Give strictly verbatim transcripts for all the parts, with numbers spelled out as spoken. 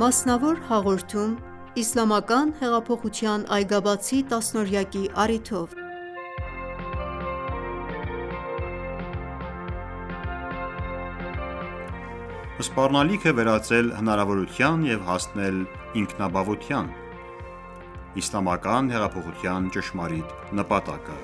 Մասնավոր հաղորդում իսլամական հեղափոխության այգաբացի տասնօրյակի առիթով Սպառնալիք է վերածել հնարավորության և հասնել ինքնաբավության: Իսլամական հեղափոխության ճշմարիտ նպատակը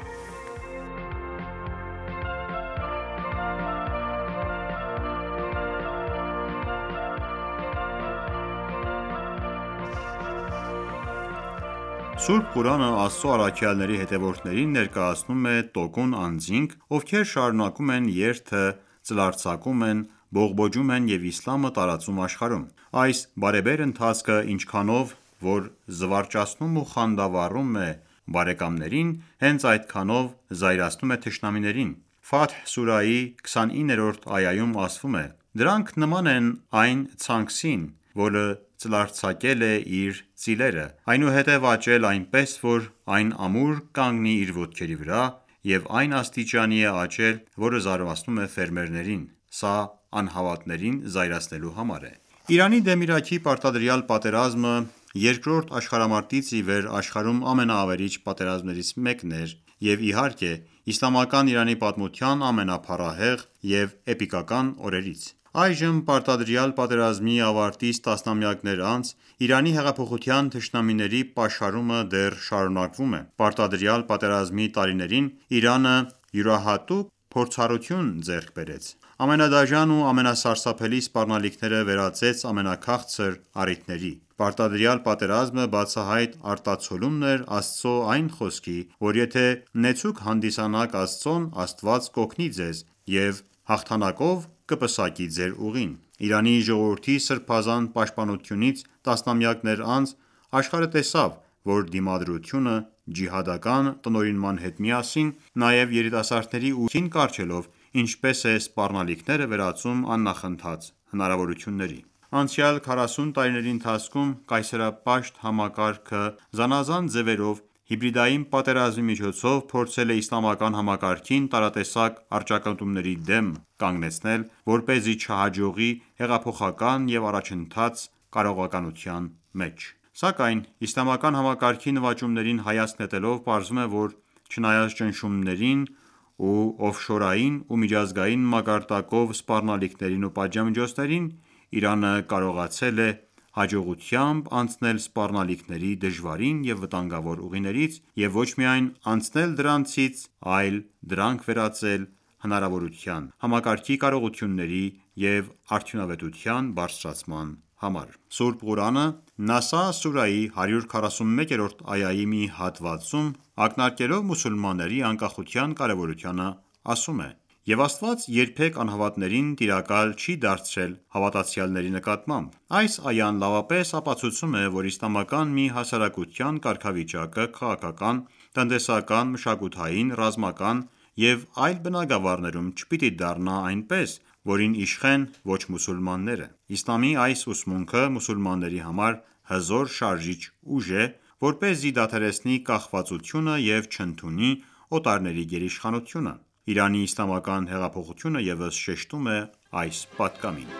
Սուրբ Ղուրանը Աստծո առաքյալների հետևորդներին ներկայացնում է տոկուն անձինք, ովքեր շարունակում են երթը, ծլարձակում են, բողբոջում են և իսլամը տարածում աշխարհում: Այս բարեբեր ընթացքը ինչքանով որ զվարճացնում ու խանդավառում է բարեկամներին, հենց այդքանով զայրացնում է թշնամիներին: Ֆաթհ սուրահի քսանիններորդ այայում ասվում է. «Դրանք նման են այն ցանքսին, որը ծլարձակել է իր ծիլերը, այնուհետև աճել այնպես, որ այն ամուր կանգնի իր ոտքերի վրա, և այն աստիճանի է աճել, որը զարմացնում է ֆերմերներին: Սա անհավատներին զայրացնելու համար է»: Իրանի դեմ Իրաքի պարտադրյալ պատերազմը երկրորդ աշխարհամարտից ի վեր աշխարհում ամենաավերիչ պատերազմներից մեկն էր և իհարկե իսլամական Իրանի պատմության ամենափառահեղ և էպիկական օրերից: Այժմ պարտադրյալ պատերազմի ավարտից տասնամյակներ անց, Իրանի հեղափոխության թշնամիների պաշարումը դեռ շարունակվում է: Պարտադրյալ պատերազմի տարիներին Իրանը յուրահատուկ փորձառություն ձեռք բերեց: Ամենադաժան ու ամենասարսափելի սպառնալիքները վերածեց ամենաքաղցր առիթների: Պարտադրյալ պատերազմը բացահայտ արտացոլումն էր Աստծո այն խոսքի, որ եթե նեցուկ հանդիսանաք Աստծուն, Աստված կօգնի ձեզ և հաղթանակով կպսակի ձեր ուղին: Իրանի ժողովրդի սրբազան պաշտպանությունից տասնամյակներ անց, աշխարհը տեսավ, որ դիմադրությունը ջիհադական տնօրինման հետ միասին, նաև երիտասարդների ուժին կառչելով, ինչպես է սպառնալիքները վերածում աննախընթաց հնարավորությունների: Անցյալ քառասուն տարիների ընթացքում կայսերապաշտ համակարգը զանազան ձևերով հիբրիդային պատերազմի միջոցով փորձել է իսլամական համակարգին տարատեսակ առճակատումների դեմ կանգնեցնել, որպեսզի չհաջողի հեղափոխական և առաջընթաց կարողականության մեջ: Սակայն իսլամական համակարգի նվաճումներին հայացք նետելով, պարզվում է, որ չնայած ճնշումներին ու օֆշորային ու միջազգային մակարդակով սպառնալիքներին ու պատժամիջոցներին, Իրանը կարողացել է հաջողությամբ անցնել սպառնալիքների դժվարին և վտանգավոր ուղիներից և ոչ միայն անցնել դրանցից, այլ դրանք վերածել հնարավորության, համակարգի կարողությունների և արդյունավետության բարձրացման համար: Սուրբ Ղուրանը Նասա սուրահի հարյուր քառասունմեկերորդ այայի մի հատվածում, ակնարկելով մուսուլմանների անկախության կարևորությանը, ասում է. «Եվ Աստված երբեք անհավատներին տիրակալ չի դարձրել հավատացյալների նկատմամբ»: Այս այան լավապես ապացուցում է, որ իսլամական մի հասարակության կարգավիճակը քաղաքական, տնտեսական, մշակութային, ռազմական և այլ բնագավառներում չպիտի դառնա այնպես, որին իշխեն ոչ մուսուլմանները: Իսլամի այս ուսմունքը մուսուլմանների համար հզոր շարժիչ ուժ է, որպեսզի դադարեցնի կախվածությունը և չընդունի օտարների գերիշխանությունը: Իրանի իսլամական հեղափոխությունը ևս շեշտում է այս պատգամին: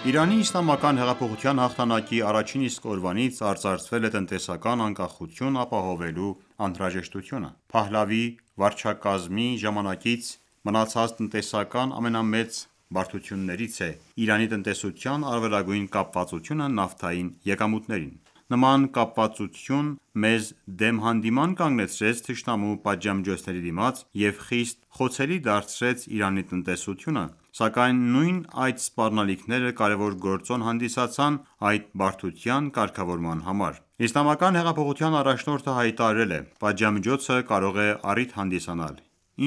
Իրանի իսլամական հեղափոխության հաղթանակի առաջին իսկ օրվանից արծարծվել է տնտեսական անկախություն ապահովելու անհրաժեշտությունը: Փահլավի վարչակարգի ժամանակից մնացած տնտեսական ամենամեծ բարդություններից է Իրանի տնտեսության առավելագույն կապվածությունը նավթային եկամուտներին: Նման կապվածություն մեզ դեմ հանդիման կանգնեցրեց թշնամու պատժամիջոցների դիմաց և խիստ խոցելի դարձրեց Իրանի տնտեսությունը: Սակայն նույն այդ սպառնալիքները կարևոր գործոն հանդիսացան այդ բարդության կարգավորման համար: Իսլամական հեղափոխության առաջնորդը հայտարարել է. «Պատժամիջոցը կարող է առիթ հանդիսանալ: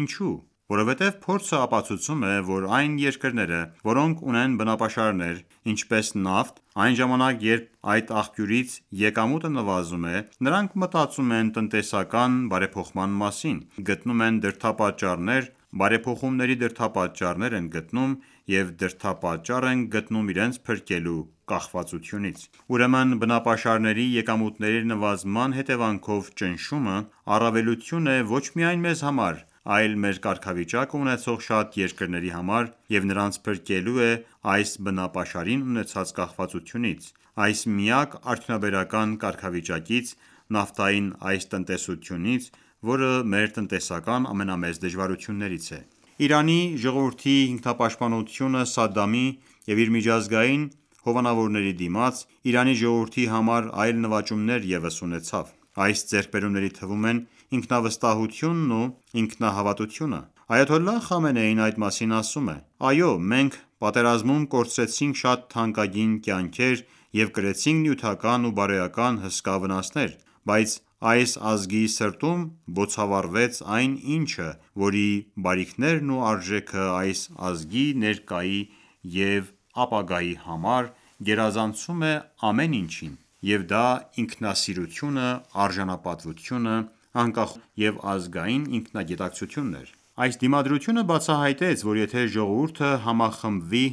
Ինչու: Որովհետև փորձը ապացուցում է, որ այն երկրները, որոնք ունեն բնապաշարներ, ինչպես նավթ, այն ժամանակ երբ այդ աղբյուրից եկամուտը նվազում է, նրանք մտածում են տնտեսական բարեփոխման մասին, գտնում են դրդապատճառներ, բարեփոխումների դրդապատճառներ են գտնում և դրդապատճառ են գտնում իրենց փրկելու կախվածությունից: Ուրեմն բնապաշարների եկամուտների նվազման հետևանքով ճնշումը առավելություն է ոչ միայն մեզ համար, այլ մեր կարգավիճակը ունեցող շատ երկրների համար և նրանց փրկելու է այս բնապաշարին ունեցած կախվածությունից, այս միակ արդյունաբերական կարգավիճակից, նավթային այս տնտեսությունից, որը մեր տնտեսական ամենամեծ դժվարություններից է: Իրանի ժողովրդի ինքնապաշտպանությունը Սադամի և իր միջազգային հովանավորների դիմաց, Իրանի ժողովրդի համար այլ նվաճումներ ևս ունեցավ: Այս ձեռքբերումների թվում են ինքնավստահությունն ու ինքնահավատությունը: Այաթոլլահ Խամենեին այդ մասին ասում է. «Այո, մենք պատերազմում կորցրեցինք շատ թանկագին կյանքեր և կրեցինք նյութական ու բարոյական հսկա վնասներ, բայց այս ազգի սրտում բոցավառվեց այն ինչը, որի բարիքներն ու արժեքը այս ազգի ներկայի և ապագայի համար գերազանցում է ամեն ինչին, և դա ինքնասիրությունը, արժանապատվությունը, անկախությունն և ազգային ինքնագիտակցությունն էր»: Այս դիմադրությունը բացահայտեց, որ եթե ժողովուրդը համախմբվի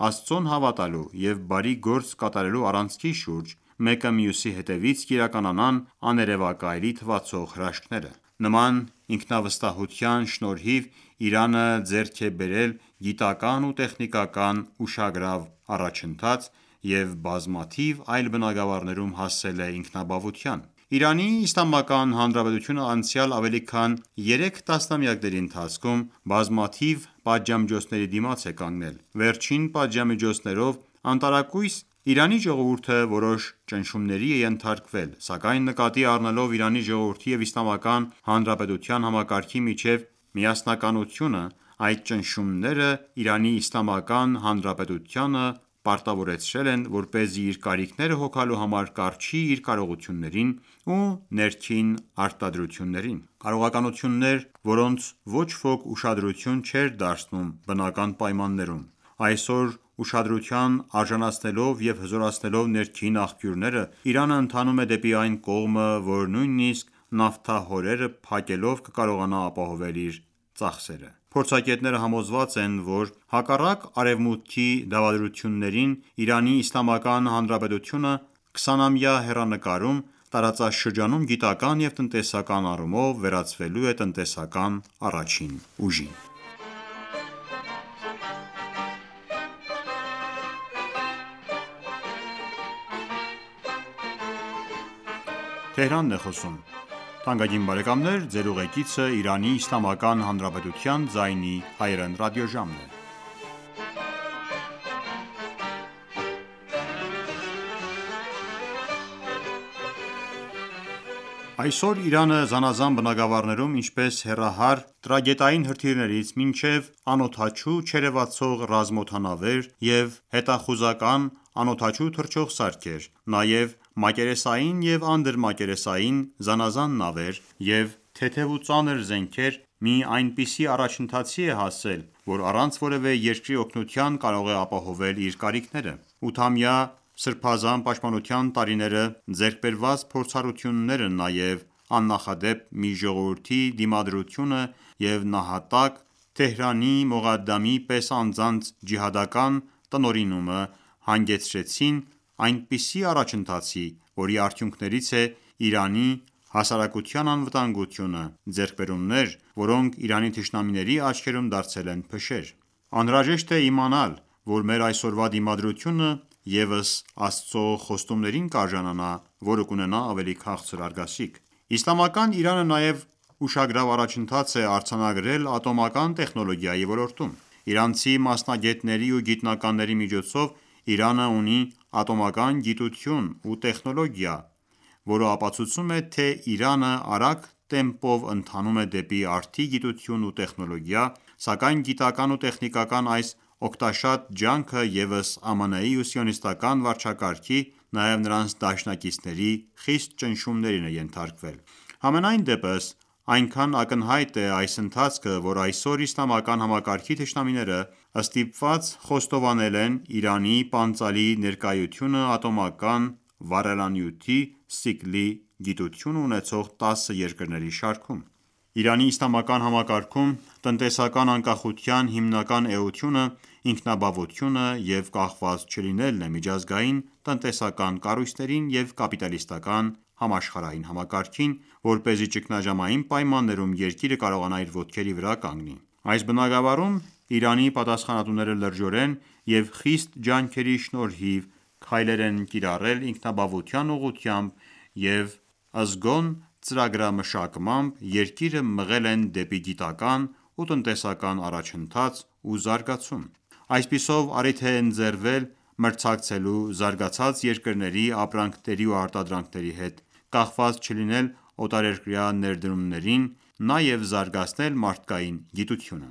Աստծուն հավատալու և բարի գործ կատարելու առանցքի շուրջ, մեկը մյուսի հետևից կիրականանան աներևակայելի թվացող հրաշքները: Նման ինքնավստահության շնորհիվ Իրանը ձեռք է բերել գիտական ու տեխնիկական ուշագրավ առաջընթաց և բազմաթիվ այլ բնագավառներում հասել է ինքնաբավության: Իրանի Իսլամական Հանրապետությունը անցյալ ավելի քան երեք տասնամյակների ընթացքում բազմաթիվ պատժամիջոցների դիմաց է կանգնել: Վերջին պատժամիջոցներով անտարակույս Իրանի ժողովուրդը որոշ ճնշումների է ենթարկվել, սակայն նկատի առնելով Իրանի ժողովրդի և Իսլամական Հանրապետության համակարգի միջև միասնականությունը, այդ ճնշումները Իրանի Իսլամական Հանրապետությանը պարտավորեցրել են, որպեսզի իր կարիքները հոգալու համար կառչի իր կարողություններին ու ներքին արտադրություններին: Կարողականություններ, որոնց ոչ ոք ուշադրություն չէր դարձնում բնական պայմաններում: Այսօր ուշադրության արժանացնելով և հզորացնելով ներքին աղբյուրները, Իրանը ընթանում է դեպի այն կողմը, որ նույնիսկ նավթահորերը փակելով կկարողանա ապահովել իր ծախսերը: Փորձագետները համոզված են, որ հակառակ Արևմուտքի դավադրություններին, Իրանի Իսլամական Հանրապետությունը քսանամյա հեռանկարում տարածաշրջանում գիտական և տնտեսական առումով վերածվելու է տնտեսական առաջին ուժին: Այսօր Իրանը զանազան բնագավառներում, ինչպես հեռահար տրագետային հրթիռներից մինչև անօդաչու չերևացող ռազմօդանավեր և հետախուզական անօդաչու թռչող սարքեր, նաև մակերեսային և անդրմակերեսային զանազան նավեր և թեթև ու ծանր զենքեր, մի այնպիսի առաջընթացի է հասել, որ առանց որևէ երկրի օգնության կարող է ապահովել իր կարիքները: Ութամյա սրբազան պաշտպանության տարիները, ձեռք բերված փորձառությունները, նաև աննախադեպ մի ժողովրդի դիմադրությունը և նահատակ Թեհրանի Մողադամի պես անձանց ջիհադական տնօրինումը հանգեցրին այնպիսի առաջընթացի, որի արդյունքներից է Իրանի հասարակության անվտանգությունը, ձեռքբերումներ, որոնք Իրանի թշնամիների աչքերում դարձել են փշեր: Անհրաժեշտ է իմանալ, որ մեր այսօրվա դիմադրությունը ևս Աստծո խոստումներին կարժանանա, որը կունենա ավելի քաղցր արգասիկ: Իսլամական Իրանը նաև ուշագրավ առաջընթաց է արձանագրել ատոմական տեխնոլոգիայի ոլորտում: Իրանցի մասնագետների ու գիտնականների միջոցով Իրանը ունի ատոմական գիտություն ու տեխնոլոգիա, որը ապացուցում է, թե Իրանը արագ տեմպով ընթանում է դեպի արդի գիտություն ու տեխնոլոգիա, սակայն գիտական ու տեխնիկական այս օգտաշատ ջանքը ևս ԱՄՆ-ի ու սիոնիստական վարչակարգի, նաև նրանց դաշնակիցների խիստ ճնշումներին է ենթարկվել: Համենայն դեպս այնքան ակնհայտ է այս ընթացքը, որ այսօր իսլամական համակարգի թշնամիները ստիպված խոստովանել են Իրանի պանծալի ներկայությունը ատոմական վառելանյութի ցիկլի գիտություն ունեցող տասը երկրների շարքում: Իրանի իսլամական համակարգում տնտեսական անկախության հիմնական էությունը ինքնաբավությունը և կախված չլինելն է միջազգային տնտեսական կառույցներին և կապիտալիստական համաշխարհային համակարգին, որպեսզի ճգնաժամային պայմաններում երկիրը կարողանա իր ոտքերի վրա կանգնի: Այս բնագավառում Իրանի պատասխանատուները լրջորեն և խիստ ջանքերի շնորհիվ քայլեր են կիրառել ինքնաբավության ուղղությամբ և զգոն ծրագրամշակմամբ երկիրը մղել են դեպի գիտական ու տնտեսական առաջընթաց ու զարգացում: Այսպիսով առիթ է ընձեռվել մրցակցելու զարգացած երկրների ապրանքների ու արտադրանքների հետ, կախված չլինել օտարերկրյա ներդրումներին, նաև զարգացնել մարդկային գիտությունը: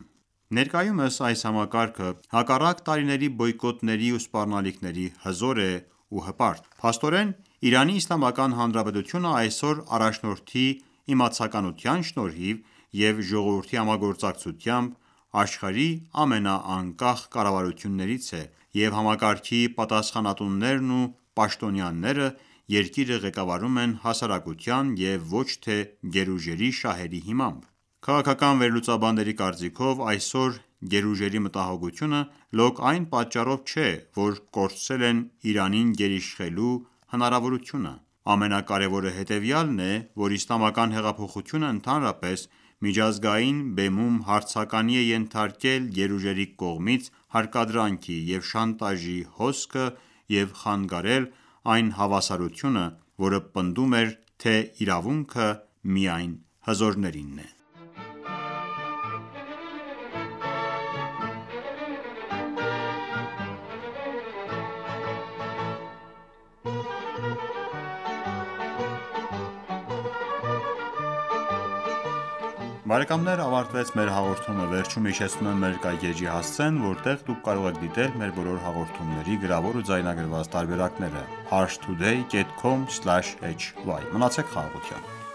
Ներկայումս այս համակարգը, հակառակ տարիների բոյկոտների ու սպառնալիքների, հզոր է ու հպարտ: Փաստորեն, Իրանի Իսլամական Հանրապետությունը այսօր առաջնորդի իմացականության շնորհիվ և ժողովրդի համագործակցությամբ աշխարհի ամենաանկախ կառավարություններից է և համակարգի պատասխանատուներն ու պաշտոնյաները երկիրը ղեկավարում են հասարակության և ոչ թե գերուժերի շահերի հիմամբ: Քաղաքական վերլուծաբանների կարծիքով այսօր գերուժերի մտահոգությունը լոկ այն պատճառով չէ, որ կորցրել են Իրանին գերիշխելու հնարավորությունը: Ամենակարևորը հետևյալն է, որ իսլամական հեղափոխությունը ընդհանրապես միջազգային բեմում հարցականի է ենթարկել գերուժերի կողմից հարկադրանքի և շանտաժի հոսքը և խանգարել այն հավասարությունը, որը պնդում էր, թե իրավունքը միայն հզորներինն է: Բարեկամներ ավարտվեց մեր հաղորդումը, վերջում հիշեցնում եմ մեր էջի հասցեն, որտեղ դուք կարող եք դիտել մեր բոլոր հաղորդումների գրավոր ու ձայնագրված տարբերակները՝ parstoday.com/hy: Մնացեք խաղաղությամբ: